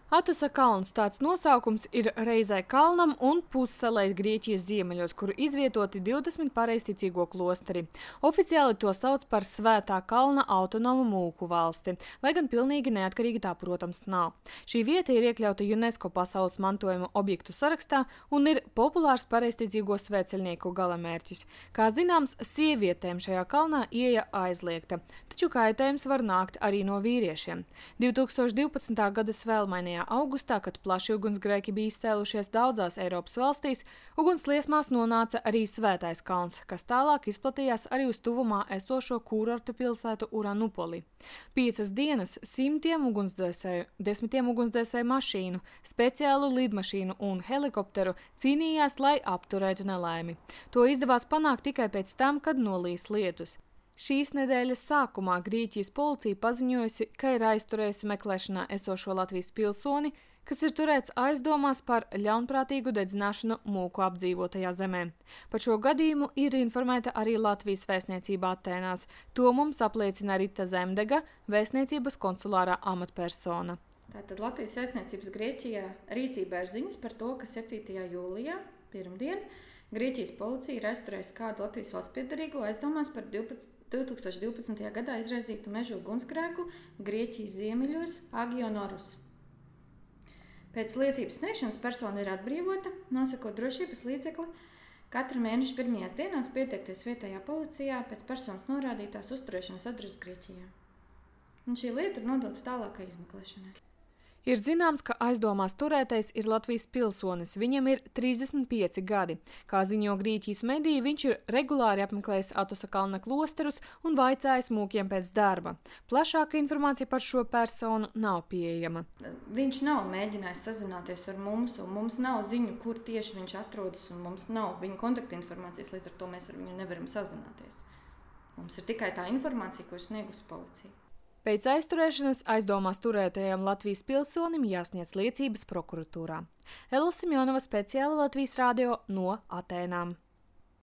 Atosa kalns tāds nosaukums ir reizē kalnam un pussalai Grieķijas ziemeļos, kur izvietoti 20 pareizticīgo klosteri. Oficiāli to sauc par Svētā kalna autonomu mūku valsti, lai gan pilnīgi neatkarīga tā, protams, nav. Šī vieta ir iekļauta UNESCO pasaules mantojuma objektu sarakstā un ir populārs pareizticīgo svētceļnieku galamērķis. Kā zināms, sievietēm šajā kalnā ieeja aizliegta, taču kaitējums var nākt arī no vīriešiem. 2012. gada svēlmainajā augustā, kad plaši ugunsgrēki bija izcēlušies daudzās Eiropas valstīs, ugunsliesmās nonāca arī Svētais kalns, kas tālāk izplatījās arī uz tuvumā esošo kūrortu pilsētu Uranupoli. 5 dienas simtiem ugunsdzēsēju, 10 ugunsdzēsēju mašīnu, speciālu lidmašīnu un helikopteru cīnījās, lai apturētu nelaimi. To izdevās panākt tikai pēc tam, kad nolīs lietus. Šīs nedēļas sākumā Grieķijas policija paziņojusi, ka ir aizturējusi meklēšanā esošo Latvijas pilsoni, kas ir turēts aizdomās par ļaunprātīgu dedzināšanu mūku apdzīvotajā zemē. Par šo gadījumu ir informēta arī Latvijas vēstniecība Atēnās. To mums apliecina Rita Zemdega, vēstniecības konsulārā amatpersona. Tātad Latvijas vēstniecības Grieķijā rīcībā ir ziņas par to, ka 7. jūlijā, pirmdien, Grieķijas policija ir aizturējusi kādu Latvijas valsts piederīgo aizdomās par 2012. gadā izraizītu meža ugunsgrēku Grieķijas ziemeļos Agionorus. Pēc liecības sniegšanas persona ir atbrīvota, nosakot drošības līdzekli katra mēneša pirmajās dienās pieteikties vietējā policijā pēc personas norādītās uzturēšanas adreses Grieķijā. Un šī lieta ir nodota tālākai izmeklēšanai. Ir zināms, ka aizdomās turētais ir Latvijas pilsonis. Viņam ir 35 gadi. Kā ziņo Grieķijas mediji, viņš ir regulāri apmeklējis Atosa kalna klosterus un vaicājis mūkiem pēc darba. Plašāka informācija par šo personu nav pieejama. Viņš nav mēģinājis sazināties ar mums, un mums nav ziņu, kur tieši viņš atrodas, un mums nav viņa kontaktinformācijas, līdz ar to mēs ar viņu nevaram sazināties. Mums ir tikai tā informācija, ko ir sniegusi policija. Pēc aizturēšanas aizdomās turētajam Latvijas pilsonim jāsniedz liecības prokuratūrā. Ella Simjonova, speciāli Latvijas radio no Atēnām.